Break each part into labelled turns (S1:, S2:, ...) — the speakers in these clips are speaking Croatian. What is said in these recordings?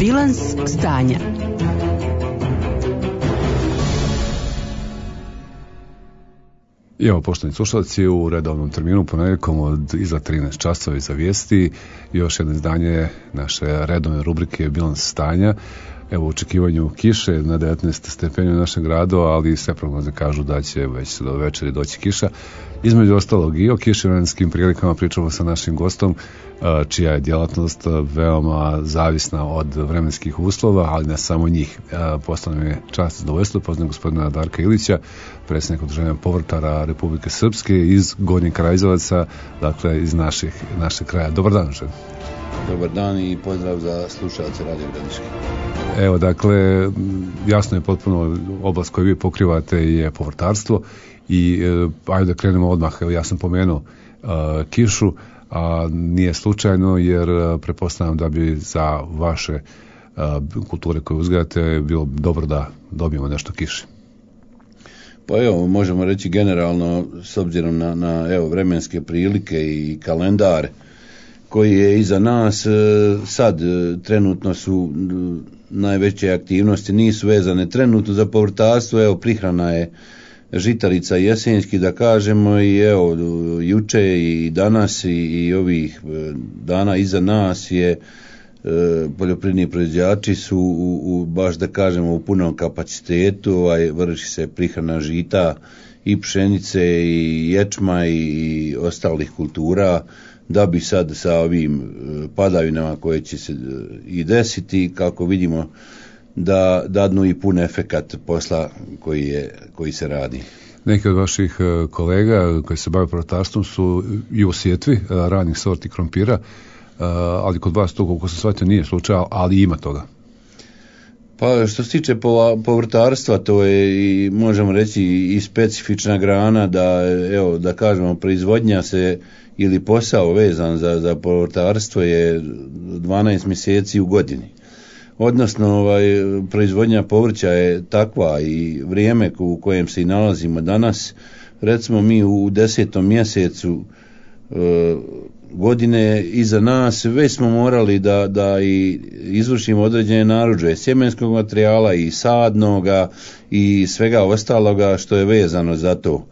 S1: Bilans stanja.
S2: I evo, poštovani slušalci, u redovnom terminu ponedjeljkom od iza 13 časova iza vijesti još jedno izdanje naše redovne rubrike Bilans stanja. Evo, u očekivanju kiše na 19 stepeni u našem gradu, ali sve prognoze kažu da će već do večeri doći kiša. Između ostalog i o kiševremenskim prilikama pričamo sa našim gostom, čija je djelatnost veoma zavisna od vremenskih uslova, ali ne samo njih. Postalo mi je čast i zadovoljstvo poznam gospodina Darka Ilića, predsjednika Udruženja povrtara Republike Srpske iz Gornjeg Karađorđevaca, dakle iz našeg kraja. Dobar dan, žen.
S3: Dobar dan i pozdrav za slušalce Radio Gradiške.
S2: Evo, dakle, jasno je potpuno oblast koju vi pokrivate je povrtarstvo i ajde da krenemo odmah. Evo, ja sam pomenuo kišu, a nije slučajno jer pretpostavljam da bi za vaše kulture koje uzgajate bilo dobro da dobijemo nešto kiše.
S3: Pa evo, možemo reći generalno s obzirom na evo, vremenske prilike i kalendar koji je iza nas, sad trenutno su najveće aktivnosti, nisu vezane trenutno za povrtarstvo, evo prihrana je žitarica jesenjski da kažemo i evo juče i danas i ovih dana iza nas je poljoprivredni proizvođači su baš da kažemo u punom kapacitetu, vrši se prihrana žita i pšenice i ječma i ostalih kultura, da bi sad sa ovim padavinama koje će se i desiti, kako vidimo, da dadnu i pun efekat posla koji se radi.
S2: Neki od vaših kolega koji se bave povrtarstvom su i u sjetvi ranih sorti krompira, ali kod vas to, koliko sam shvatio, nije slučaj, ali ima toga.
S3: Pa što se tiče povrtarstva, to je i možemo reći i specifična grana, da evo da kažemo proizvodnja se ili posao vezan za povrtarstvo je 12 mjeseci u godini. Odnosno proizvodnja povrća je takva i vrijeme u kojem se i nalazimo danas, recimo mi u 10. mjesecu godine iza nas već smo morali da i izvršimo određene narudžbe sjemenskog materijala i sadnoga i svega ostaloga što je vezano za to.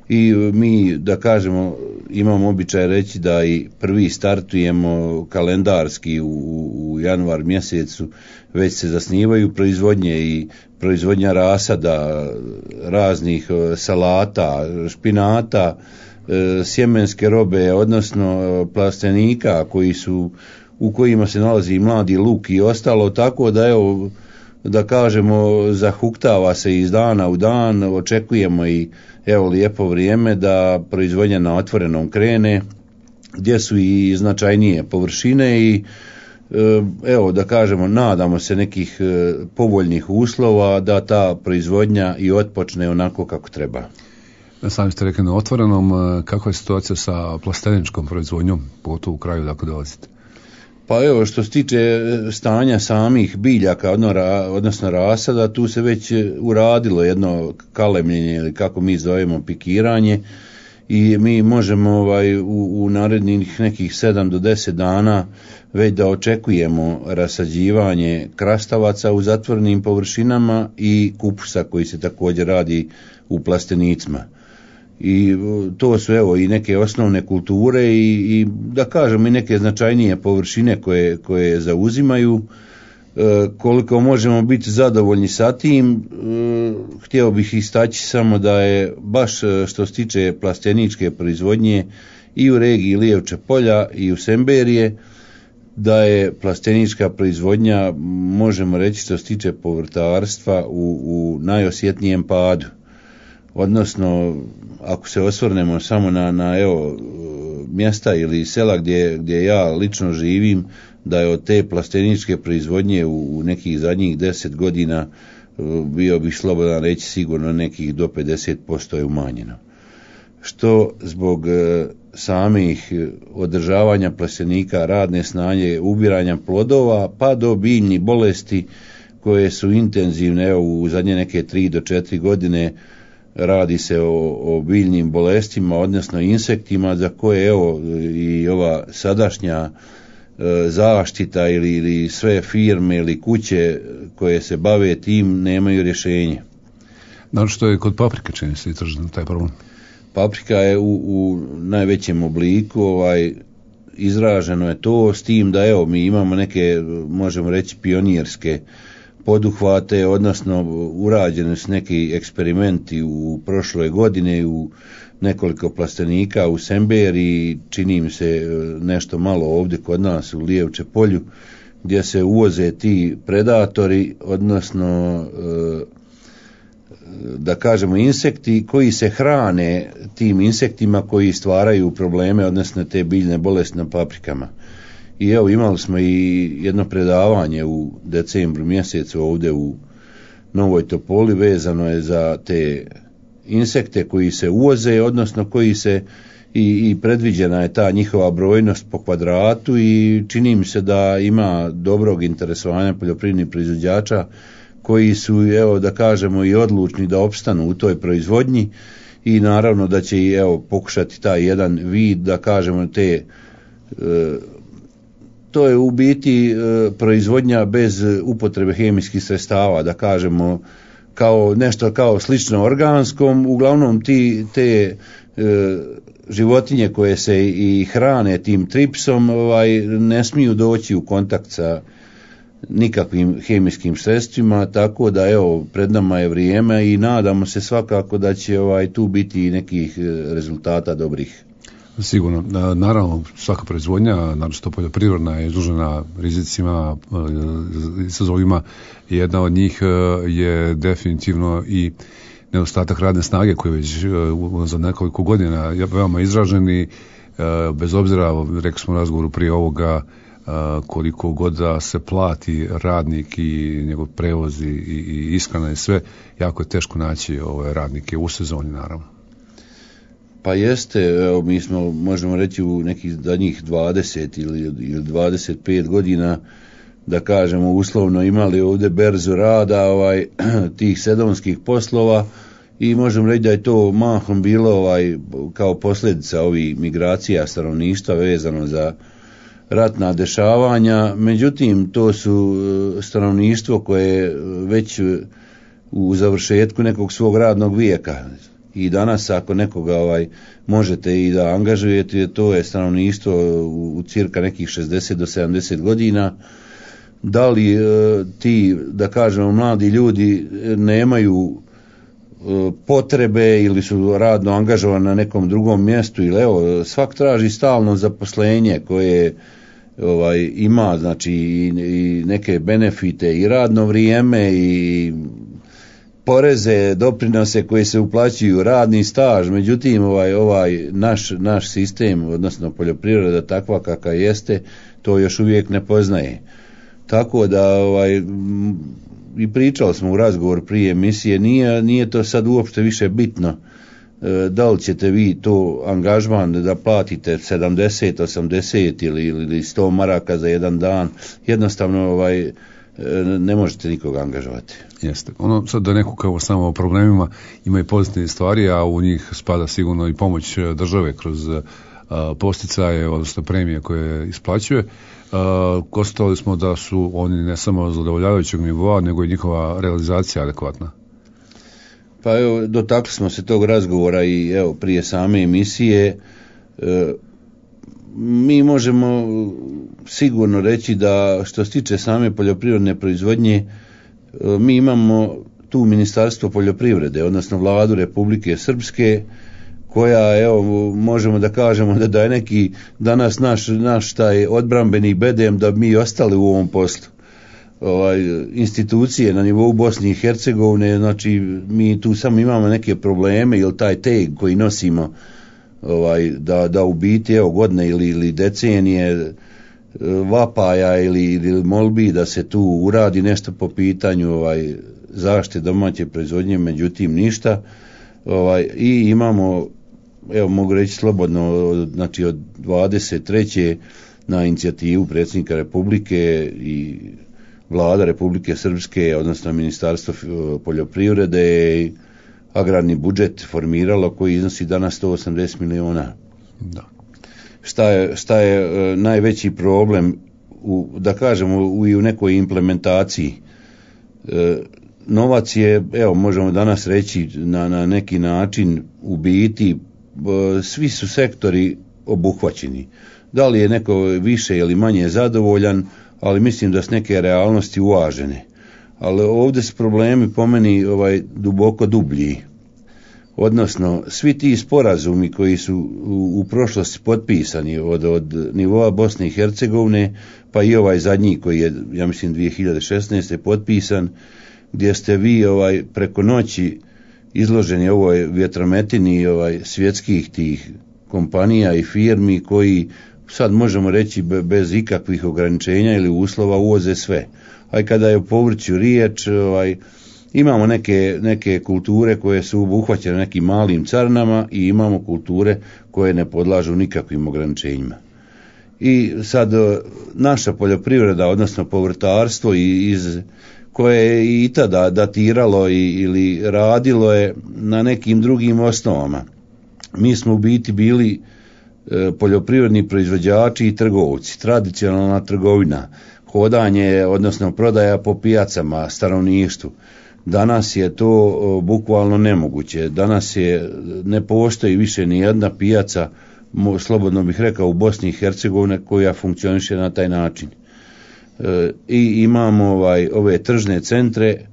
S3: I mi, da kažemo, imamo običaj reći da i prvi startujemo kalendarski u januar mjesecu, već se zasnivaju proizvodnje i proizvodnja rasada, raznih salata, špinata, sjemenske robe, odnosno plastenika u kojima se nalazi mladi luk i ostalo, tako da evo, da kažemo, zahuktava se iz dana u dan, očekujemo i evo lijepo vrijeme da proizvodnja na otvorenom krene, gdje su i značajnije površine i evo da kažemo, nadamo se nekih povoljnih uslova da ta proizvodnja i otpočne onako kako treba.
S2: Sami ste rekli na otvorenom, kakva je situacija sa plasteničkom proizvodnjom, pogotovo u kraju dakle dolazite?
S3: Pa evo, što se tiče stanja samih biljaka, odnosno rasada, tu se već uradilo jedno kalemljenje ili kako mi zovemo pikiranje i mi možemo u narednih nekih 7 do 10 dana već da očekujemo rasađivanje krastavaca u zatvorenim površinama i kupusa koji se također radi u plastenicima. I to su evo i neke osnovne kulture i da kažemo i neke značajnije površine koje zauzimaju. Koliko možemo biti zadovoljni sa tim, htio bih istaći samo da je baš što se tiče plasteničke proizvodnje i u regiji Lijevče polja i u Semberije, da je plastenička proizvodnja, možemo reći što se tiče povrtarstva, u najosjetnijem padu. Odnosno, ako se osvrnemo samo na evo mjesta ili sela gdje ja lično živim, da je od te plasteničke proizvodnje u nekih zadnjih 10 godina bio bih slobodan reći sigurno nekih do 50% je umanjeno. Što zbog samih održavanja plastenika, radne snage, ubiranja plodova pa do biljnih bolesti koje su intenzivne, evo u zadnje neke 3 do 4 godine radi se o biljnim bolestima, odnosno insektima za koje evo i ova sadašnja zaštita ili sve firme ili kuće koje se bave tim nemaju rješenje.
S2: Znači što je kod paprike čini se izražen taj problem?
S3: Paprika je u najvećem obliku, izraženo je to, s tim da evo mi imamo neke, možemo reći, pionirske poduhvate, odnosno urađeni su neki eksperimenti u prošloj godini u nekoliko plastenika u Semberi, čini mi se nešto malo ovdje kod nas u Lijevče polju, gdje se uvoze ti predatori, odnosno da kažemo insekti koji se hrane tim insektima koji stvaraju probleme, odnosno te biljne bolesti na paprikama. I evo imali smo i jedno predavanje u decembru mjesecu ovdje u Novoj Topoli, vezano je za te insekte koji se uvoze, odnosno koji se i predviđena je ta njihova brojnost po kvadratu i čini mi se da ima dobrog interesovanja poljoprivrednih proizvođača koji su, evo da kažemo, i odlučni da opstanu u toj proizvodnji i naravno da će i evo pokušati taj jedan vid, da kažemo, te to je u biti proizvodnja bez upotrebe hemijskih sredstava, da kažemo, kao nešto kao slično organskom. Uglavnom te životinje koje se i hrane tim tripsom ne smiju doći u kontakt sa nikakvim hemijskim sredstvima, tako da evo pred nama je vrijeme i nadamo se svakako da će tu biti nekih rezultata dobrih.
S2: Sigurno. Naravno, svaka proizvodnja, naročito poljoprivredna, je izložena rizicima, izazovima. Jedna od njih je definitivno i nedostatak radne snage koji već za nekoliko godina je veoma izraženi, bez obzira, rekli smo u razgovoru prije ovoga, koliko god da se plati radnik i njegov prevoz i ishrana i sve, jako je teško naći radnike u sezoni, naravno.
S3: Pa jeste, evo, mi smo, možemo reći, u nekih zadnjih 20 ili 25 godina, da kažemo, uslovno imali ovdje berzu rada tih sezonskih poslova i možemo reći da je to mahom bilo kao posljedica ovih migracija stanovništva vezano za ratna dešavanja. Međutim, to su stanovništvo koje već u završetku nekog svog radnog vijeka. I danas ako nekoga možete i da angažujete, to je stanovništvo u cirka nekih 60 do 70 godina. Da li ti, da kažemo, mladi ljudi nemaju potrebe ili su radno angažovani na nekom drugom mjestu, ili evo, svak traži stalno zaposlenje koje ima, znači, i neke benefite i radno vrijeme i poreze, doprinose koje se uplaćuju, radni staž. Međutim, naš sistem, odnosno poljoprivreda takva kakva jeste, to još uvijek ne poznaje. Tako da i pričali smo u razgovoru prije emisije, nije to sad uopšte više bitno da li ćete vi to angažman da platite 70, 80 ili 100 maraka za jedan dan, jednostavno ne možete nikoga angažovati.
S2: Jeste. Ono sad da neko kao samo o problemima ima i pozitivne stvari, a u njih spada sigurno i pomoć države kroz posticaje, odnosno premije koje isplaćuje. Konstatovali smo da su oni ne samo zadovoljavajućeg nivoa, nego i njihova realizacija adekvatna.
S3: Pa evo, dotakli smo se tog razgovora i evo prije same emisije. Mi možemo sigurno reći da što se tiče same poljoprivredne proizvodnje, mi imamo tu Ministarstvo poljoprivrede, odnosno Vladu Republike Srpske, koja, evo, možemo da kažemo da je neki danas naš taj odbrambeni bedem da mi ostali u ovom poslu. Institucije na nivou Bosne i Hercegovine, znači mi tu samo imamo neke probleme ili taj teg koji nosimo da u biti evo godine ili decenije vapaja ili molbi da se tu uradi nešto po pitanju zaštite domaće proizvodnje, međutim ništa. I imamo, evo mogu reći slobodno, znači od 23. na inicijativu predsjednika Republike i Vlada Republike Srpske, odnosno Ministarstvo poljoprivrede i agrarni budžet formiralo koji iznosi danas 180 miliona.
S2: Da.
S3: Šta je najveći problem da kažemo i u nekoj implementaciji. Novac je, evo možemo danas reći na neki način u biti svi su sektori obuhvaćeni. Da li je neko više ili manje zadovoljan, ali mislim da su neke realnosti uvažene. Ali ovdje su problemi po meni duboko dublji. Odnosno, svi ti sporazumi koji su u prošlosti potpisani od nivoa Bosne i Hercegovine, pa i ovaj zadnji koji je, ja mislim, 2016. potpisan, gdje ste vi preko noći izloženi ovoj vjetrometini svjetskih tih kompanija i firmi koji sad možemo reći bez ikakvih ograničenja ili uslova uvoze sve. A kada je o povrću riječ, imamo neke kulture koje su obuhvaćene nekim malim carinama i imamo kulture koje ne podlažu nikakvim ograničenjima. I sad naša poljoprivreda, odnosno povrtarstvo koje je i tada datiralo ili radilo je na nekim drugim osnovama. Mi smo u biti bili poljoprivredni proizvođači i trgovci, tradicionalna trgovina, hodanje, odnosno prodaja po pijacama stanovništvu. Danas je to bukvalno nemoguće. Danas ne postoji više ni jedna pijaca, slobodno bih rekao, u Bosni i Hercegovini koja funkcioniše na taj način. I imamo ove tržne centre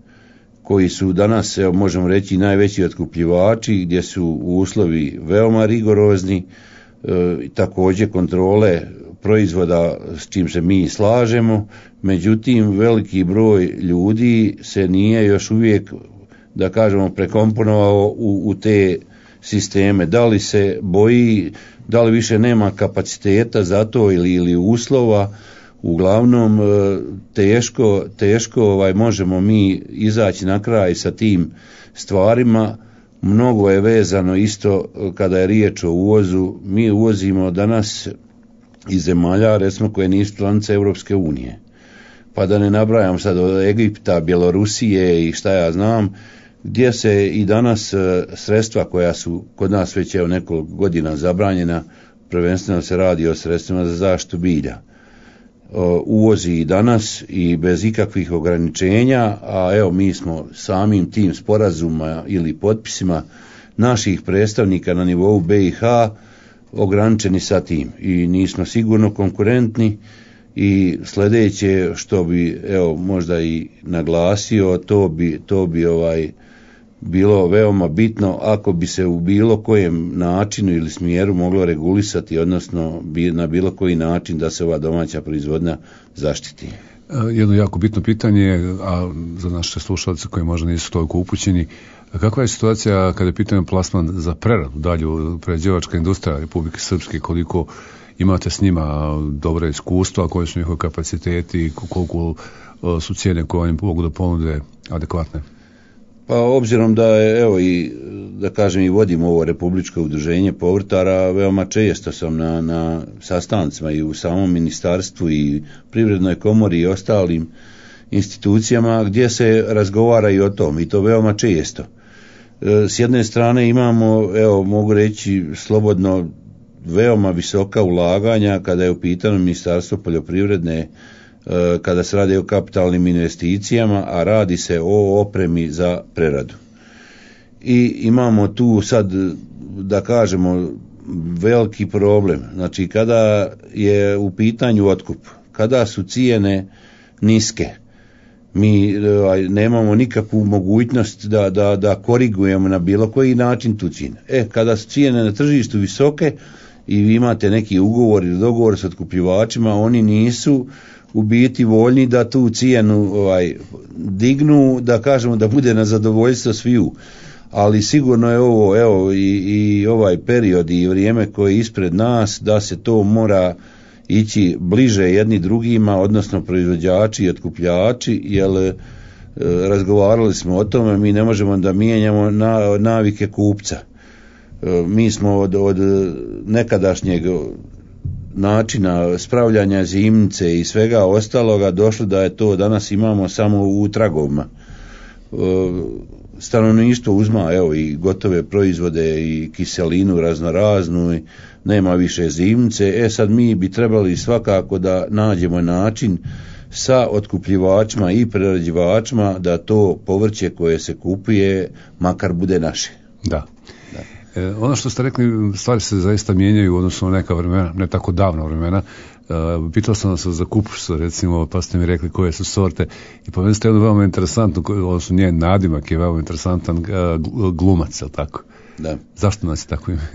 S3: koji su danas, možemo reći, najveći otkupljivači, gdje su uslovi veoma rigorozni, također kontrole proizvoda s čim se mi slažemo, međutim veliki broj ljudi se nije još uvijek, da kažemo, prekomponovao u te sisteme. Da li se boji, da li više nema kapaciteta za to ili uslova. Uglavnom teško možemo mi izaći na kraj sa tim stvarima. Mnogo je vezano isto kada je riječ o uvozu. Mi uvozimo danas iz zemalja, recimo, koje nisu članice Europske unije. Pa da ne nabrajam sad od Egipta, Bjelorusije i šta ja znam, gdje se i danas sredstva koja su kod nas već nekoliko godina zabranjena, prvenstveno se radi o sredstvima za zaštitu bilja, uvozi i danas i bez ikakvih ograničenja, a evo mi smo samim tim sporazuma ili potpisima naših predstavnika na nivou BiH ograničeni sa tim i nismo sigurno konkurentni. I sljedeće što bi možda i naglasio, to bi bilo veoma bitno ako bi se u bilo kojem načinu ili smjeru moglo regulisati, odnosno na bilo koji način da se ova domaća proizvodnja zaštiti.
S2: Jedno jako bitno pitanje, a za naše slušalce koji možda nisu toliko upućeni, kakva je situacija kada je pitanje plasman za preradu, dalju prerađivačka industrija Republike Srpske, koliko imate s njima dobre iskustva, koji su njihovi kapaciteti, koliko su cijene koje oni mogu da ponude adekvatne?
S3: Pa obzirom da je, i da kažem i vodim ovo Republičko udruženje povrtara, veoma često sam na sastancima i u samom ministarstvu i Privrednoj komori i ostalim institucijama gdje se razgovara i o tom, i to veoma često. S jedne strane imamo, mogu reći slobodno, veoma visoka ulaganja kada je u pitanju Ministarstvo poljoprivredne, kada se radi o kapitalnim investicijama, a radi se o opremi za preradu. I imamo tu sad, da kažemo, veliki problem. Znači, kada je u pitanju otkup, kada su cijene niske, mi nemamo nikakvu mogućnost da korigujemo na bilo koji način tu cijenu. Kada su cijene na tržištu visoke i vi imate neki ugovor ili dogovor s otkupljivačima, oni nisu u biti voljni da tu cijenu dignu, da kažemo da bude na zadovoljstvo sviju. Ali sigurno je ovo i ovaj period i vrijeme koje je ispred nas, da se to mora ići bliže jedni drugima, odnosno proizvođači i otkupljači, jer razgovarali smo o tome, mi ne možemo da mijenjamo navike kupca. Mi smo od nekadašnjeg načina spravljanja zimnice i svega ostaloga došli da je to danas imamo samo u tragovima. stanovništvo uzma evo i gotove proizvode i kiselinu raznoraznu i nema više zimnice. Sad mi bi trebali svakako da nađemo način sa otkupljivačima i prerađivačima da to povrće koje se kupuje makar bude naše.
S2: Da. Ono što ste rekli, stvari se zaista mijenjaju u odnosu na neka vremena, ne tako davna vremena. Pitao sam vas za kupus, recimo, pa ste mi rekli koje su sorte i po meni ste jedno veoma interesantno, odnosno njen nadimak je veoma interesantan, glumac, je li tako?
S3: Da.
S2: Zašto nas je tako ime?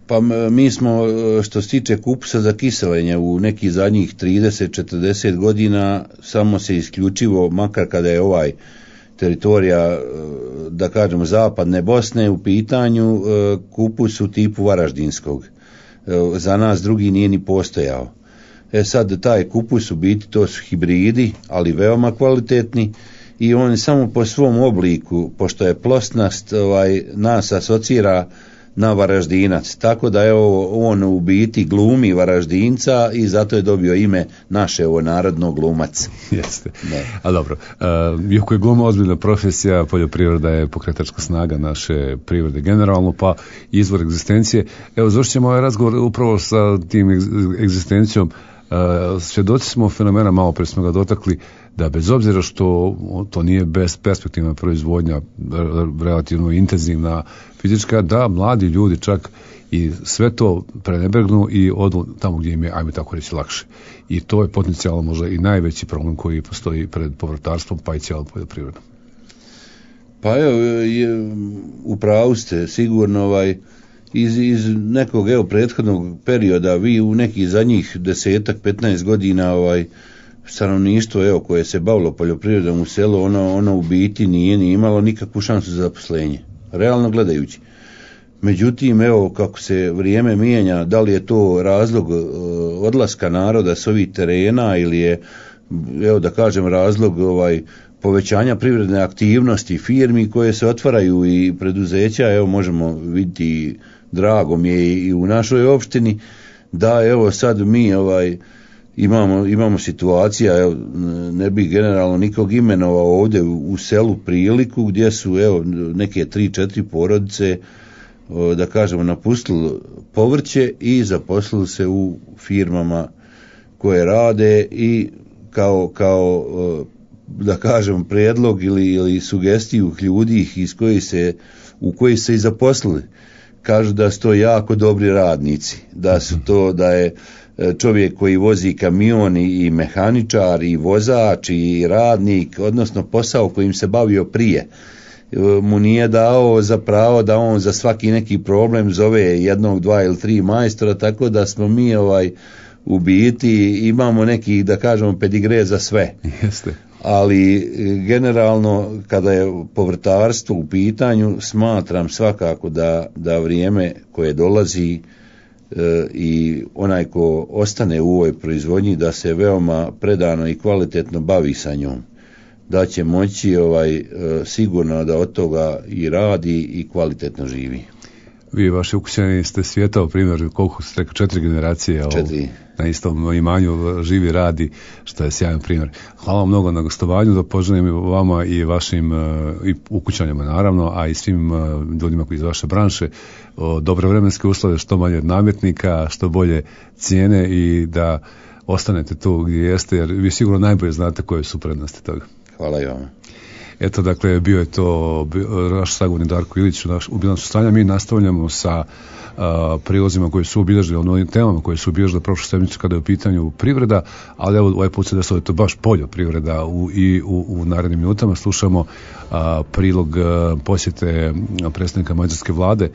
S3: Pa mi smo, što se tiče kupusa za kiselenje, u nekih zadnjih 30-40 godina samo se isključivo, makar kada je ovaj teritorija, da kažemo, zapadne Bosne u pitanju, kupus u tipu varaždinskog. Za nas drugi nije ni postojao. Sad taj kupus u biti to su hibridi, ali veoma kvalitetni i on samo po svom obliku, pošto je plosnast, nas asocira na Varaždinac, tako da je on u biti glumi Varaždinca i zato je dobio ime naše narodno glumac.
S2: Jeste. A dobro, iako je gluma ozbiljna profesija, poljoprivreda je pokretačka snaga naše privrede generalno, pa izvor egzistencije. Evo, završit ćemo ovaj razgovor upravo sa tim egzistencijom. Svjedoci smo fenomena, malo prije smo ga dotakli, da bez obzira što to nije besperspektivna proizvodnja, relativno intenzivna fizička, da mladi ljudi čak i sve to prenebregnu i odu tamo gdje im je, ajme tako reći, lakše. I to je potencijalno možda i najveći problem koji postoji pred povrtarstvom, pa i cijelom poljoprivredom.
S3: Pa evo, u pravu ste, sigurno iz nekog prethodnog perioda, vi u nekih zadnjih 10-15 godina stanovništvo koje se bavilo poljoprivredom u selu, ono u biti nije ni imalo nikakvu šansu za zaposlenje, realno gledajući. Međutim, kako se vrijeme mijenja, da li je to razlog odlaska naroda s ovih terena ili je, da kažem, razlog povećanja privredne aktivnosti firmi koje se otvaraju i preduzeća, možemo vidjeti, drago mi je i u našoj opštini, da sad mi imamo situacija, ne bih generalno nikog imenovao ovdje u selu Priliku, gdje su neke 3-4 porodice, da kažemo, napustili povrće i zaposlili se u firmama koje rade i kao da kažem prijedlog ili sugestiju ljudi u koji se i zaposlili. Kažu da su to jako dobri radnici, da je čovjek koji vozi kamion i mehaničar i vozač i radnik, odnosno posao kojim se bavio prije, mu nije dao za pravo da on za svaki neki problem zove 1, 2 ili 3 majstora, tako da smo mi u biti imamo neki, da kažemo, pedigre za sve.
S2: Jeste.
S3: Ali generalno kada je povrtarstvo u pitanju, smatram svakako da vrijeme koje dolazi i onaj ko ostane u ovoj proizvodnji, da se veoma predano i kvalitetno bavi sa njom, da će moći sigurno da od toga i radi i kvalitetno živi.
S2: Vi, vaši ukućani, ste svijetao primjer, koliko ste rekao, 4 generacije
S3: 4.
S2: Na istom imanju živi, radi, što je sjajan primjer. Hvala vam mnogo na gostovanju, da poželim vama i vašim i ukućanima naravno, a i svim ljudima koji iz vaše branše dobre vremenske uslove, što manje nametnika, što bolje cijene i da ostanete tu gdje jeste, jer vi sigurno najbolje znate koje su prednosti toga.
S3: Hvala i vama.
S2: Eto, dakle, bio je to naš sagovornik Darko Ilić u bilansu stanja. Mi nastavljamo sa prilozima koji su obilježili, onim temama koje su obilježili prošlu sedmicu kada je u pitanju privreda, ali evo ovaj put se desilo je to baš poljoprivreda u narednim minutama. Slušamo prilog posjete predstavnika mađarske vlade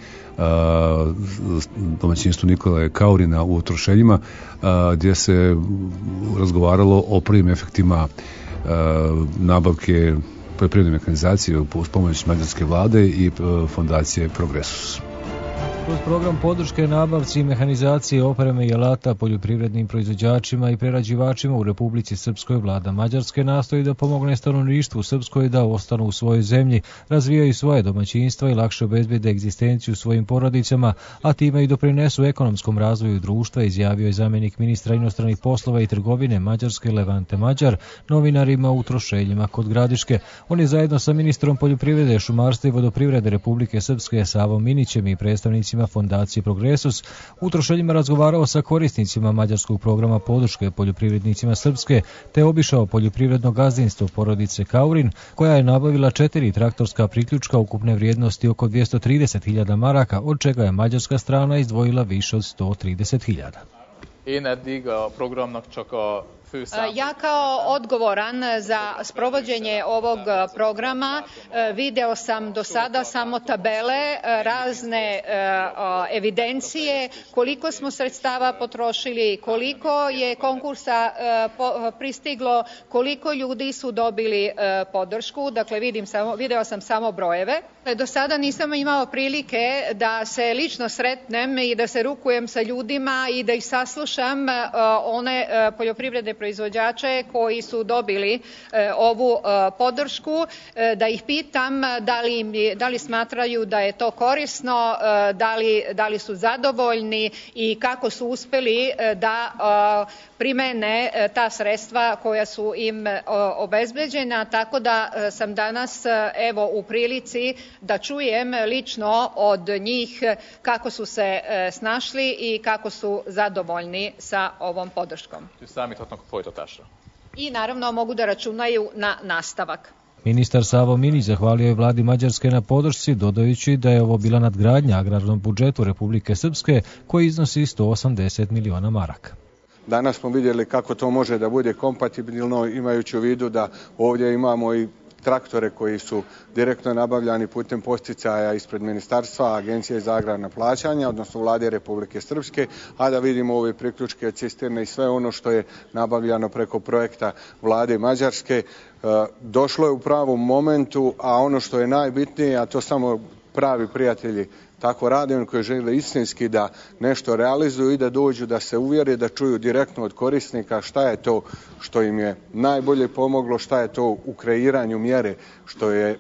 S2: domaćinstvu Nikole Kaurina u Trošeljima, gdje se razgovaralo o prvim efektima nabavke poljoprivredne mehanizacije uz pomoć mađarske vlade i fondacije Progresus.
S1: Kroz program podrške nabavci i mehanizacije opreme i alata poljoprivrednim proizvođačima i prerađivačima u Republici Srpskoj, vlada Mađarske nastoji da pomogne stanovništvu Srpskoj da ostanu u svojoj zemlji, razvijaju svoje domaćinstva i lakše obezbede egzistenciju svojim porodicama, a time i doprinesu ekonomskom razvoju društva, izjavio je zamjenik ministra inostranih poslova i trgovine Mađarske Levante Mađar novinarima u Trošeljima kod Gradiške. On je zajedno sa ministrom poljoprivrede, šumarstva i vodoprivrede Republike Srpske Savom Minićem i predstavnicima Fondacije Progresus u Trošeljima razgovarao sa korisnicima mađarskog programa podrške poljoprivrednicima Srpske, te obišao poljoprivredno gazdinstvo porodice Kaurin, koja je nabavila 4 traktorska priključka ukupne vrijednosti oko 230.000 maraka, od čega je mađarska strana izdvojila više od 130.000.
S4: Ja kao odgovoran za sprovođenje ovog programa video sam do sada samo tabele, razne evidencije, koliko smo sredstava potrošili, koliko je konkursa pristiglo, koliko ljudi su dobili podršku, dakle video sam samo brojeve. Do sada nisam imao prilike da se lično sretnem i da se rukujem sa ljudima i da ih saslušam, one poljoprivredne proizvođače koji su dobili ovu podršku, da ih pitam da li smatraju da je to korisno, da li su zadovoljni i kako su uspeli da primene ta sredstva koja su im obezbeđena, tako da sam danas evo u prilici da čujem lično od njih kako su se snašli i kako su zadovoljni sa ovom podrškom. I naravno mogu da računaju na nastavak.
S1: Ministar Savo Minić zahvalio je vladi Mađarske na podršci, dodajući da je ovo bila nadgradnja agrarnom budžetu Republike Srpske koji iznosi 180 miliona maraka.
S5: Danas smo vidjeli kako to može da bude kompatibilno, imajući u vidu da ovdje imamo i traktore koji su direktno nabavljani putem posticaja ispred ministarstva, Agencije za agrarna plaćanja, odnosno vlade Republike Srpske, a da vidimo ove priključke, cisterne i sve ono što je nabavljano preko projekta vlade Mađarske. Došlo je u pravom momentu, a ono što je najbitnije, a to samo pravi prijatelji tako rade, oni koji žele istinski da nešto realizuju i da dođu da se uvjere, da čuju direktno od korisnika šta je to što im je najbolje pomoglo, šta je to u kreiranju mjere što je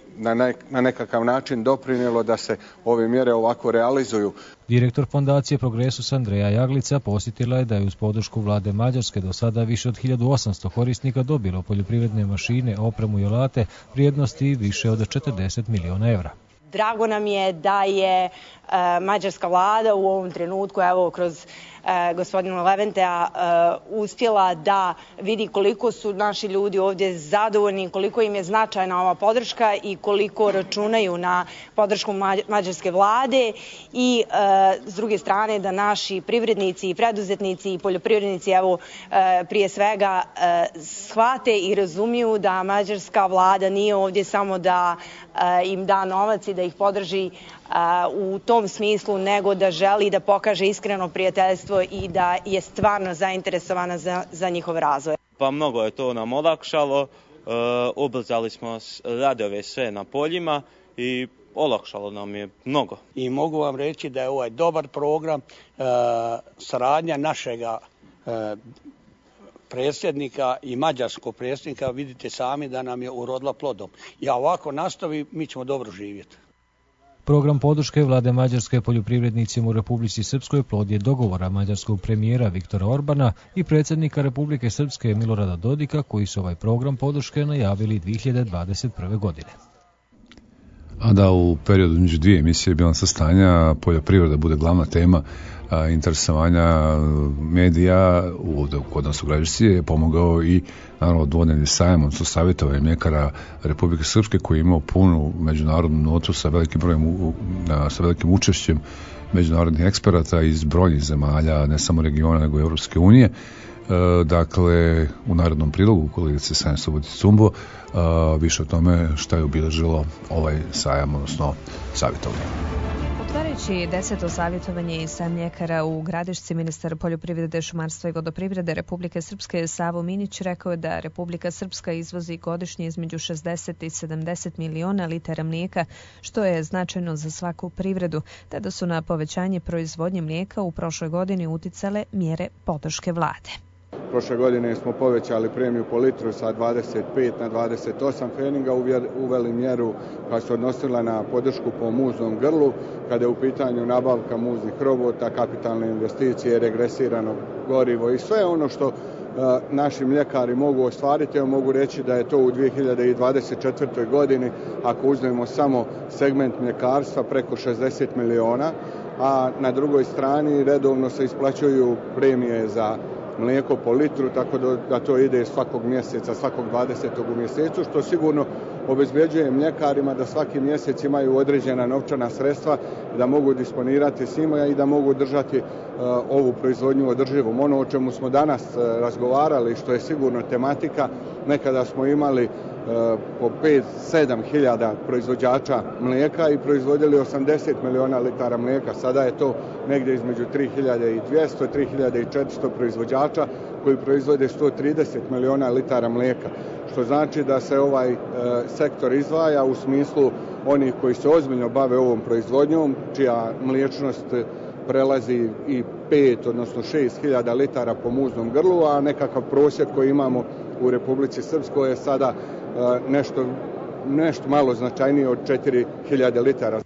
S5: na nekakav način doprinijelo da se ove mjere ovako realizuju.
S1: Direktor Fondacije Progresus Andreja Jaglica posjetila je da je uz podršku vlade Mađarske do sada više od 1800 korisnika dobilo poljoprivredne mašine, opremu i alate vrijednosti više od 40 miliona evra.
S6: Drago nam je da je mađarska vlada u ovom trenutku, evo kroz gospodina Leventea, uspjela da vidi koliko su naši ljudi ovdje zadovoljni, koliko im je značajna ova podrška i koliko računaju na podršku mađarske vlade i s druge strane da naši privrednici i preduzetnici i poljoprivrednici evo prije svega shvate i razumiju da mađarska vlada nije ovdje samo da im da novac i da ih podrži u tom smislu, nego da želi da pokaže iskreno prijateljstvo i da je stvarno zainteresovana za njihov razvoj.
S7: Pa mnogo je to nam olakšalo, ubrzali smo radove sve na poljima i olakšalo nam je mnogo.
S8: I mogu vam reći da je ovaj dobar program, saradnja našega predsjednika i mađarskog predsjednika, vidite sami da nam je urodila plodom. I ovako nastavi, mi ćemo dobro živjeti.
S1: Program podrške vlade Mađarske poljoprivrednicima u Republici Srpskoj plod je dogovora mađarskog premijera Viktora Orbana i predsjednika Republike Srpske Milorada Dodika, koji su ovaj program podrške najavili 2021. godine.
S2: A da u periodu među dvije emisije bilansa stanja poljoprivreda bude glavna tema interesovanja medija kod nas u Gradišci je pomogao i naravno dvodnevni sajam, odnosno savjetovanje mljekara Republike Srpske koji je imao punu međunarodnu notu sa velikim brojem, sa velikim učešćem međunarodnih eksperata iz brojnih zemalja, ne samo regiona nego i Europske unije. Dakle, u narednom prilogu kolegice Sanja Subotić-Cumbo više o tome šta je obilježilo ovaj sajam, odnosno savjetovanje.
S9: Otvarajući 10. savjetovanje i sajam mljekara u Gradišci, ministar poljoprivrede, šumarstva i vodoprivrede Republike Srpske Savo Minić rekao je da Republika Srpska izvozi godišnje između 60 i 70 miliona litara mlijeka, što je značajno za svaku privredu, te da su na povećanje proizvodnje mlijeka u prošloj godini uticale mjere podrške vlade.
S5: Prošle godine smo povećali premiju po litru sa 25 na 28 pfeninga, uveli mjeru koja se odnosila na podršku po muznom grlu, kada je u pitanju nabavka muznih robota, kapitalne investicije, regresirano gorivo i sve ono što naši mljekari mogu ostvariti. Mogu reći da je to u 2024. godini, ako uzmemo samo segment mljekarstva, preko 60 miliona, a na drugoj strani redovno se isplaćuju premije za mlijeko po litru, tako da to ide svakog mjeseca, svakog 20. u mjesecu, što sigurno obezbeđuje mljekarima da svaki mjesec imaju određena novčana sredstva, da mogu disponirati s njima i da mogu držati ovu proizvodnju održivom. Ono o čemu smo danas razgovarali, što je sigurno tematika, nekada smo imali po 5-7 hiljada proizvođača mlijeka i proizvodili 80 miliona litara mlijeka. Sada je to negdje između 3200 i 3400 proizvođača koji proizvode 130 miliona litara mlijeka. Što znači da se ovaj sektor izdvaja u smislu onih koji se ozbiljno bave ovom proizvodnjom, čija mliječnost prelazi i 5, odnosno 6 hiljada litara po muznom grlu, a nekakav prosjek koji imamo u Republici Srpskoj je sada nešto malo značajnije od 4000 litara.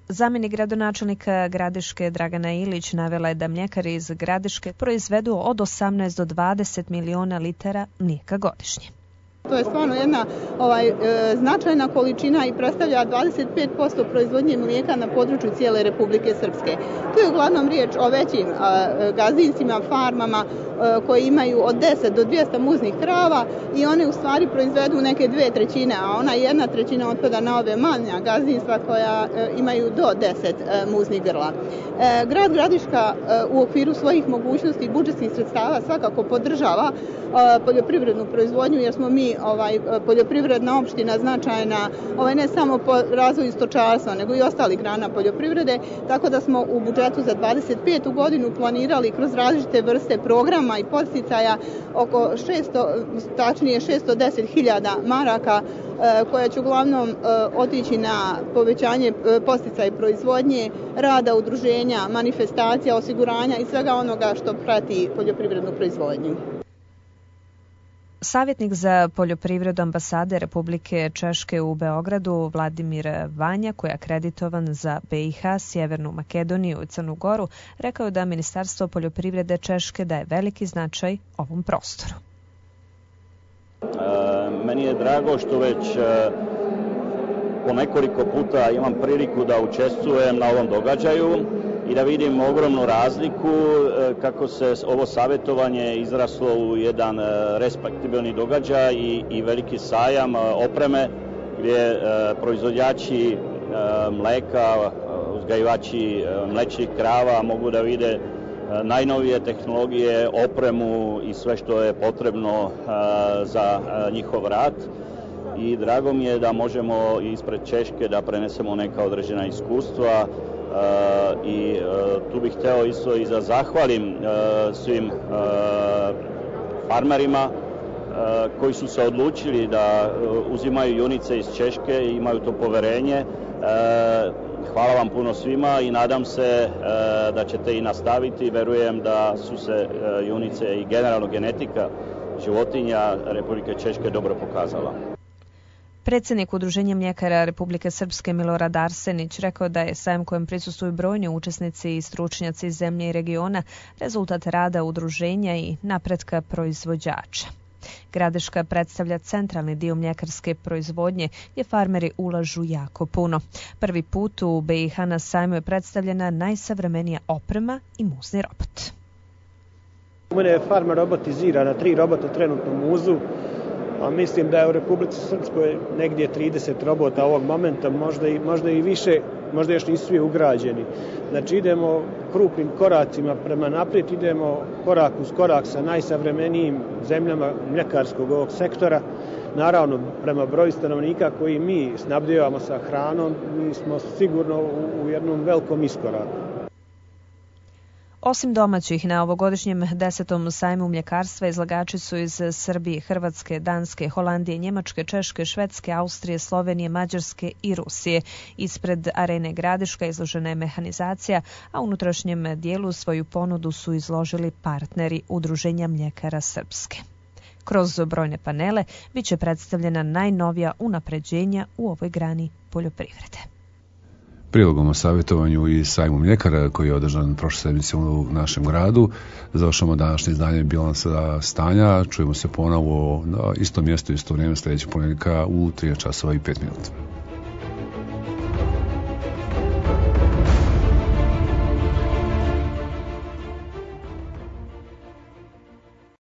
S9: Zamjenik gradonačelnika Gradiške Dragana Ilić navela je da mljekari iz Gradiške proizvedu od 18 do 20 miliona litara mlijeka godišnje.
S10: To je stvarno jedna značajna količina i predstavlja 25% proizvodnje mlijeka na području cijele Republike Srpske. Tu je uglavnom riječ o većim gazdinstvima, farmama koji imaju od 10 do 200 muznih krava i one u stvari proizvedu neke 2/3, a ona 1/3 otpada na ove manja gazdinstva koja imaju do 10 muznih grla. Grad Gradiška u okviru svojih mogućnosti i budžetskih sredstava svakako podržava poljoprivrednu proizvodnju, jer smo mi poljoprivredna opština značajna ne samo po razvoju stočarstva, nego i ostalih grana poljoprivrede, tako da smo u budžetu za 25. godinu planirali kroz različite vrste programa i podsticaja oko 610.000 maraka koja će uglavnom otići na povećanje podsticaja proizvodnje, rada udruženja, manifestacija, osiguranja i svega onoga što prati poljoprivrednu proizvodnju.
S9: Savjetnik za poljoprivredu ambasade Republike Češke u Beogradu Vladimir Vanja, koji je akreditovan za BiH, Sjevernu Makedoniju i Crnu Goru, rekao je da Ministarstvo poljoprivrede Češke daje veliki značaj ovom prostoru.
S11: Meni je drago što već po nekoliko puta imam priliku da učestvujem na ovom događaju i da vidim ogromnu razliku kako se ovo savjetovanje izraslo u jedan respektibilni događaj i veliki sajam opreme gdje proizvođači mleka, uzgajivači mlečnih krava mogu da vide najnovije tehnologije, opremu i sve što je potrebno za njihov rad. I drago mi je da možemo ispred Češke da prenesemo neka određena iskustva i tu bih hteo isto i da zahvalim svim farmerima koji su se odlučili da uzimaju junice iz Češke i imaju to poverenje. Hvala vam puno svima i nadam se da ćete i nastaviti. Verujem da su se junice i generalno genetika životinja Republike Češke dobro pokazala.
S9: Predsjednik Udruženja mljekara Republike Srpske Milorad Arsenić rekao da je sajam kojem prisustvuju brojni učesnici i stručnjaci iz zemlje i regiona rezultat rada udruženja i napretka proizvođača. Gradiška predstavlja centralni dio mljekarske proizvodnje gdje farmeri ulažu jako puno. Prvi put u BiH na sajmu je predstavljena najsavremenija oprema i muzni robot.
S12: U mene je farma robotiziran, 3 robota trenutno muzu a mislim da je u Republici Srpskoj negdje 30 robota ovog momenta, možda i više, možda još nisu svi ugrađeni. Znači idemo krupnim koracima prema naprijed, idemo korak uz korak sa najsavremenijim zemljama mljekarskog ovog sektora. Naravno, prema broju stanovnika koji mi snabdijevamo sa hranom, mi smo sigurno u jednom velikom iskoraku.
S9: Osim domaćih, na ovogodišnjem 10. sajmu mljekarstva izlagači su iz Srbije, Hrvatske, Danske, Holandije, Njemačke, Češke, Švedske, Austrije, Slovenije, Mađarske i Rusije. Ispred Arene Gradiška izložena je mehanizacija, a u unutrašnjem dijelu svoju ponudu su izložili partneri Udruženja mljekara Srpske. Kroz brojne panele bit će predstavljena najnovija unapređenja u ovoj grani poljoprivrede.
S2: Prilogom o savjetovanju i sajmu mljekara koji je održan prošle sedmice u našem gradu završamo današnje izdanje Bilansa stanja. Čujemo se ponovo na istom mjestu, isto vrijeme sljedećeg ponedjeljka u 13:05.